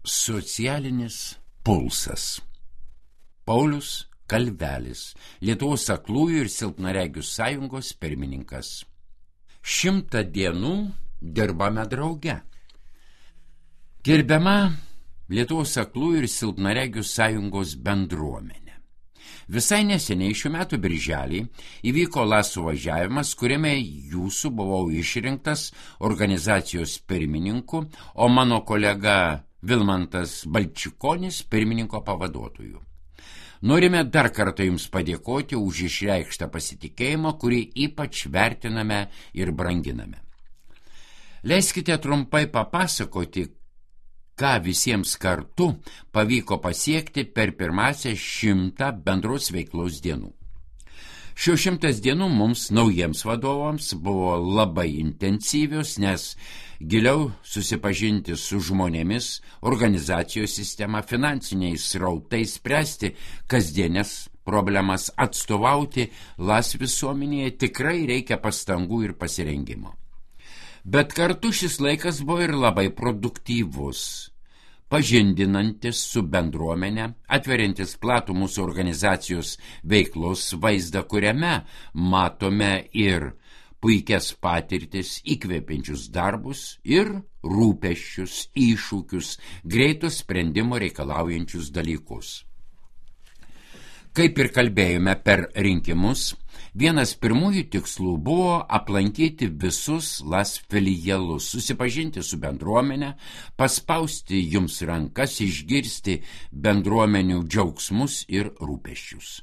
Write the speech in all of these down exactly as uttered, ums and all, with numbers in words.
Socialinis pulsas. Paulius Kalvelis, Lietuvos aklųjų ir silpnaregių sąjungos pirmininkas. Šimtą dienų dirbame drauge. Gerbiama Lietuvos aklųjų ir silpnaregių sąjungos bendruomenė. Visai neseniai šių metų birželį įvyko LAS suvažiavimas, kuriame jūsų buvau išrinktas organizacijos pirmininku, o mano kolega Vilmantas Balčikonis pirmininko pavaduotojų. Norime dar kartą Jums padėkoti už išreikštą pasitikėjimą, kurį ypač vertiname ir branginame. Leiskite trumpai papasakoti, ką visiems kartu pavyko pasiekti per pirmąsias šimtą bendros veiklos dienų. Šios šimtas dienų mums, naujiems vadovams, buvo labai intensyvios, nes giliau susipažinti su žmonėmis, organizacijos sistema, finansiniais srautais, spręsti kasdienės problemas, atstovauti LAS visuomenėje tikrai reikia pastangų ir pasirengimo. Bet kartu šis laikas buvo ir labai produktyvus, pažindinantis su bendruomenė, atveriantis platų mūsų organizacijos veiklos vaizdą, kuriame matome ir puikias patirtis, įkvepiančius darbus ir rūpesčius, iššūkius, greitus sprendimo reikalaujančius dalykus. Kaip ir kalbėjome per rinkimus, vienas pirmųjų tikslų buvo aplankyti visus LAS filialus, susipažinti su bendruomenė, paspausti jums rankas, išgirsti bendruomenių džiaugsmus ir rūpesčius.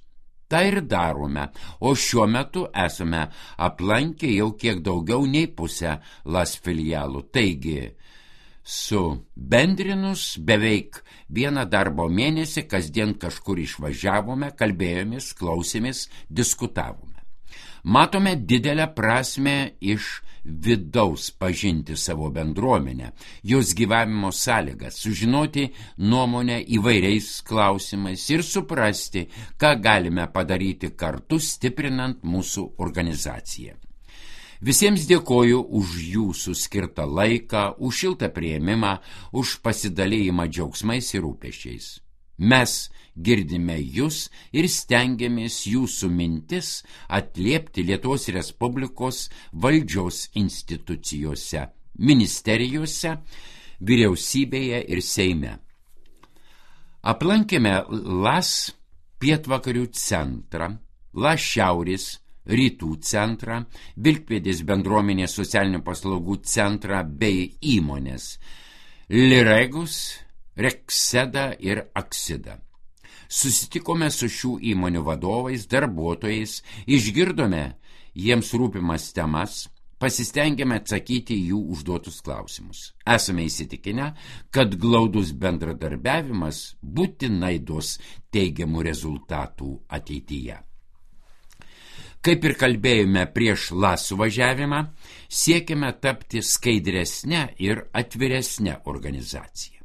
Tai ir darome, o šiuo metu esame aplankę jau kiek daugiau nei pusę LAS filialų. Taigi, subendrinus beveik vieną darbo mėnesį, kasdien kažkur išvažiavome, kalbėjomės, klausėmės, diskutavome. Matome didelę prasmę iš vidaus pažinti savo bendruomenę, jos gyvavimo sąlygas, sužinoti nuomonę įvairiais klausimais ir suprasti, ką galime padaryti kartu, stiprinant mūsų organizaciją. Visiems dėkoju už jūsų skirtą laiką, už šiltą priėmimą, už pasidalėjimą džiaugsmais ir rūpesčiais. Mes girdime jūs ir stengiamės jūsų mintis atliepti Lietuvos Respublikos valdžios institucijose, ministerijose, vyriausybėje ir Seime. Aplankėme LAS pietvakarių centrą, LAS šiaurės rytų centrą, Vilkpėdės bendruomenės socialinių paslaugų centrą bei įmonės Liregus, Rekseda ir Aksida. Susitikome su šių įmonių vadovais, darbuotojais, išgirdome jiems rūpimas temas, pasistengėme atsakyti jų užduotus klausimus. Esame įsitikinę, kad glaudus bendradarbiavimas būtinai duos teigiamų rezultatų ateityje. Kaip ir kalbėjome prieš LAS suvažiavimą, siekime tapti skaidresnę ir atviresnę organizaciją.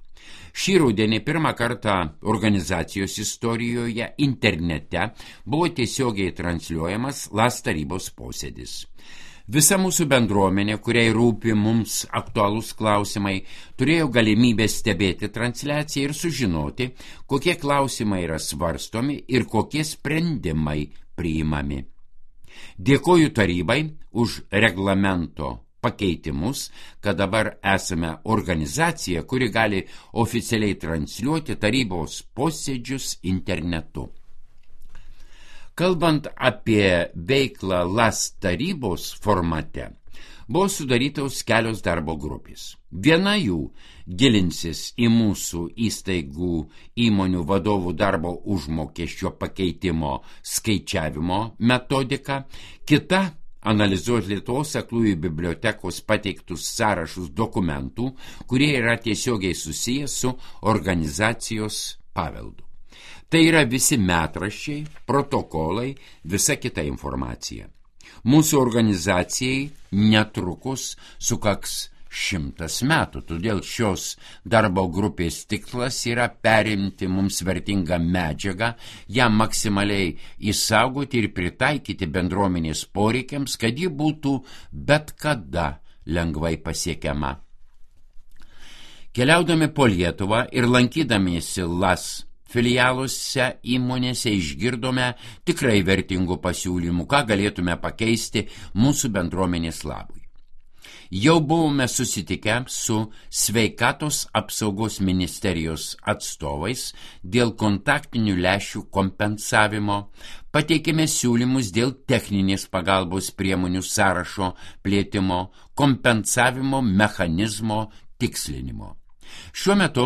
Šį rudenį pirmą kartą organizacijos istorijoje internete buvo tiesiogiai transliuojamas LAS tarybos posėdis. Visa mūsų bendruomenė, kuriai rūpi mums aktualūs klausimai, turėjo galimybę stebėti transliaciją ir sužinoti, kokie klausimai yra svarstomi ir kokie sprendimai priimami. Dėkoju tarybai už reglamento pakeitimus, kad dabar esame organizacija, kuri gali oficialiai transliuoti tarybos posėdžius internetu. Kalbant apie veiklą LAS tarybos formate, buvo sudarytos kelios darbo grupės. Viena jų gilinsis į mūsų įstaigų įmonių vadovų darbo užmokesčio pakeitimo skaičiavimo metodiką, kita analizuoti Lietuvos aklųjų bibliotekos pateiktus sąrašus dokumentų, kurie yra tiesiogiai susiję su organizacijos paveldu. Tai yra visi metraščiai, protokolai, visa kita informacija. Mūsų organizacijai netrukus sukaks šimtas metų, todėl šios darbo grupės tikslas yra perimti mums vertingą medžiagą, ją maksimaliai įsaugoti ir pritaikyti bendruomenės poreikiams, kad ji būtų bet kada lengvai pasiekiama. Keliaudami po Lietuvą ir lankydamiesi LAS filialuose įmonėse išgirdome tikrai vertingų pasiūlymų, ką galėtume pakeisti mūsų bendruomenės labui. Jau buvome susitikę su Sveikatos apsaugos ministerijos atstovais dėl kontaktinių lęšių kompensavimo, pateikėme siūlymus dėl techninės pagalbos priemonių sąrašo plėtimo, kompensavimo mechanizmo tikslinimo. Šiuo metu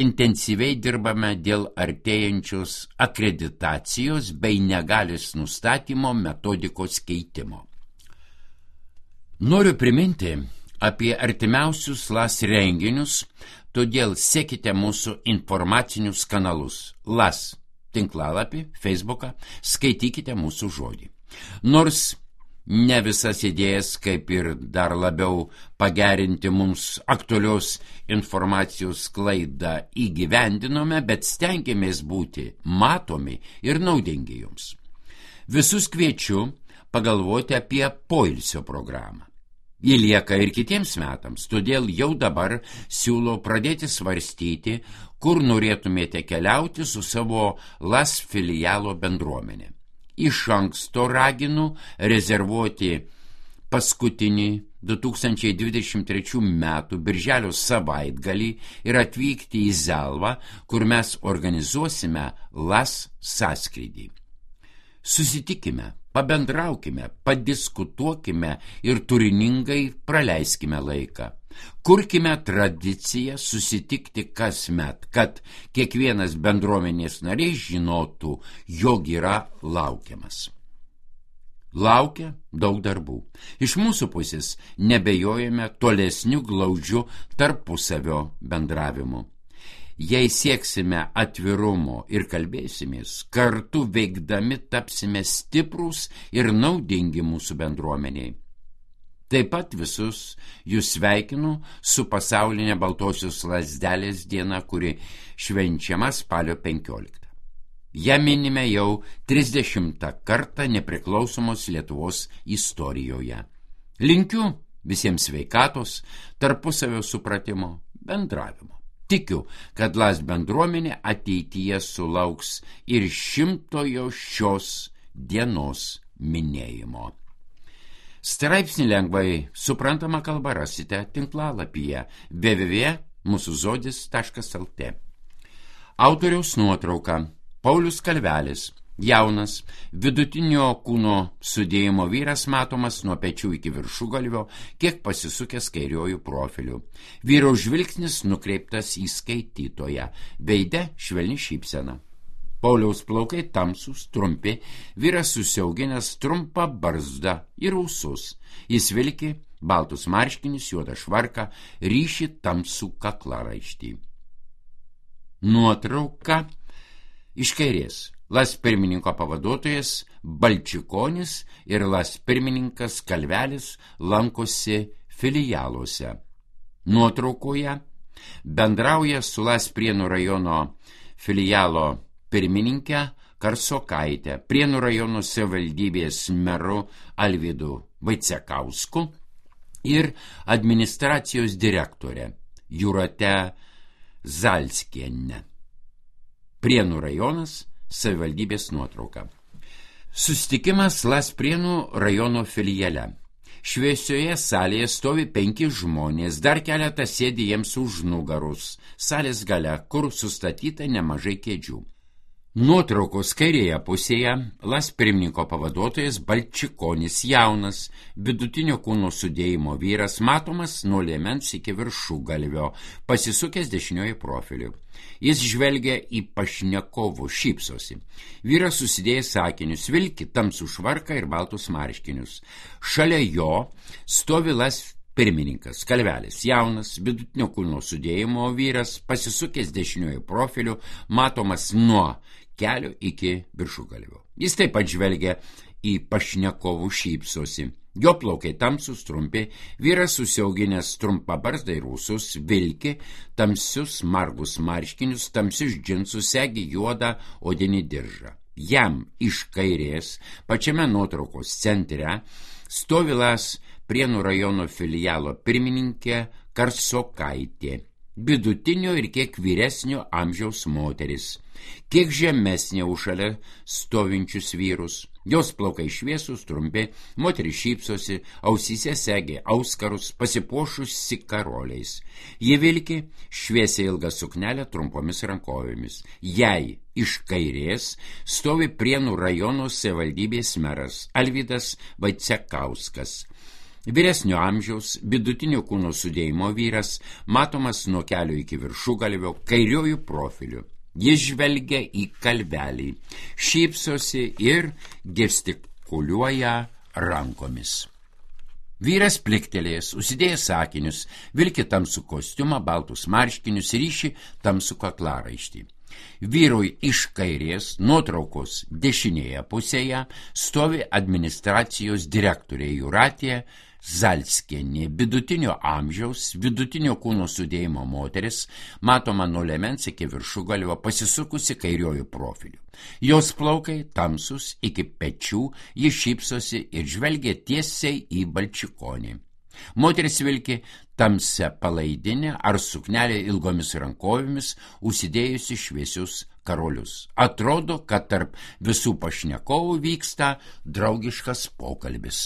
intensyviai dirbame dėl artėjančios akreditacijos bei negalios nustatymo metodikos keitimo. Noriu priminti apie artimiausius LAS renginius, todėl sekite mūsų informacinius kanalus LAS tinklalapį, Facebooką, skaitykite mūsų žodį. Nors ne visas idėjas, kaip ir dar labiau pagerinti mums aktualios informacijos sklaidą įgyvendinome, bet stengiamės būti matomi ir naudingi jums. Visus kviečiu pagalvoti apie poilsio programą. Ji lieka ir kitiems metams, todėl jau dabar siūlau pradėti svarstyti, kur norėtumėte keliauti su savo LAS filialo bendruomenė. Iš anksto raginu rezervuoti paskutinį du tūkstančiai dvidešimt trečių metų birželio savaitgalį ir atvykti į Zelvą, kur mes organizuosime LAS sąskrydį. Susitikime, pabendraukime, padiskutuokime ir turiningai praleiskime laiką. Kurkime tradiciją susitikti kasmet, kad kiekvienas bendruomenės narys žinotų, jog yra laukiamas. Laukia daug darbų. Iš mūsų pusės nebejojame tolesnių glaudžių tarpusavio bendravimu. Jei sieksime atvirumo ir kalbėsimės, kartu veikdami tapsime stiprūs ir naudingi mūsų bendruomeniai. Taip pat visus jūs sveikinu su pasaulinė baltosios lazdelės diena, kuri švenčiama spalio penkioliktą. Ja minime jau trisdešimtą kartą nepriklausomos Lietuvos istorijoje. Linkiu visiems sveikatos, tarpusavio supratimo, bendravimo. Tikiu, kad LAS bendruomenė ateityje sulauks ir šimtojo šios dienos minėjimo. Straipsnį lengvai suprantama kalba rasite tinklalapyje w w w taškas mūsų žodis taškas l t. Autoriaus nuotrauka: Paulius Kalvelis, jaunas, vidutinio kūno sudėjimo vyras, matomas nuo pečių iki viršugalvio, kiek pasisukęs kairiuoju profiliu. Vyro žvilgsnis nukreiptas į skaitytoją, veide švelni šypsena. Pauliaus plaukai tamsūs, trumpi, vyras susiauginęs trumpą barzdą ir ūsus. Jis vilki baltus marškinius, juodą švarką, ryšį tamsų kaklaraištį. Nuotrauka iš kairės: LAS pirmininko pavaduotojas Balčikonis ir LAS pirmininkas Kalvelis lankosi filialuose. Nuotraukoje bendrauja su LAS Prienų rajono filialo pirmininkė Karsokaitė, Prienų rajono savivaldybės meru Alvydu Vaicekausku ir administracijos direktorė Jūrate Zalskienė. Prienų rajonas, savivaldybės nuotrauka. Susitikimas LAS Prienų rajono filiale. Šviesioje salėje stovi penki žmonės, dar keletas sėdi jiems už nugarus, salės gale, kur sustatyta nemažai kėdžių. Nuotraukos kairėje pusėje LAS pirmininko pavaduotojas Balčikonis, jaunas, vidutinio kūno sudėjimo vyras, matomas nuo liemens iki viršugalvio, pasisukęs dešinioji profiliu. Jis žvelgia į pašnekovų, šypsosi. Vyras susidėjęs sakinius, vilki tamsų švarką ir baltus marškinius. Šalia jo stovi LAS pirmininkas Kalvelis, jaunas, vidutinio kūno sudėjimo vyras, pasisukęs dešinioji profiliu, matomas nuo kelio iki viršugalvio. Jis taip pat žvelgia į pašnekovų, šypsosi. Jo plaukai tamsus, trumpi, vyras susiauginęs trumpą barzdą ir ūsus, vilki tamsius margus marškinius, tamsius džinsus, segi juodą odinį diržą. Jam iš kairės, pačiame nuotraukos centre, stovi LAS Prienų rajono filialo pirmininkė Karsokaitė. vidutinio ir kiek vyresnio amžiaus moteris, kiek žemesnė už šalia stovinčius vyrus. Jos plaukai šviesus, trumpi, moteris šypsosi, ausyse segė auskarus, pasipuošusi karoliais. Ji vilki šviesiai ilgą suknelę trumpomis rankovėmis. Jai iš kairės stovi Prienų rajono savivaldybės meras Alvydas Vaicekauskas. Vyresnio amžiaus, vidutinio kūno sudėjimo vyras, matomas nuo kelio iki viršugalvio, kairiojų profiliu. Jis žvelgia į kalvelį, šypsosi ir gestikuliuoja rankomis. Vyras pliktelėjęs, užsidėjęs akinius, vilki tamsų kostiumą, baltus marškinius, ryši tamsų kaklaraištį. Vyrui iš kairės, nuotraukos dešinėje pusėje, stovi administracijos direktorė Jūratė Zalskienė, vidutinio amžiaus, vidutinio kūno sudėjimo moteris, matoma nuo liemens iki viršugalvio, pasisukusi kairiojų profiliu. Jos plaukai tamsus iki pečių, ji šypsosi ir žvelgia tiesiai į balčikonį. Moteris vilki tamsią palaidinę ar suknelę ilgomis rankovėmis, užsidėjusi šviesius karolius. Atrodo, kad tarp visų pašnekovų vyksta draugiškas pokalbis.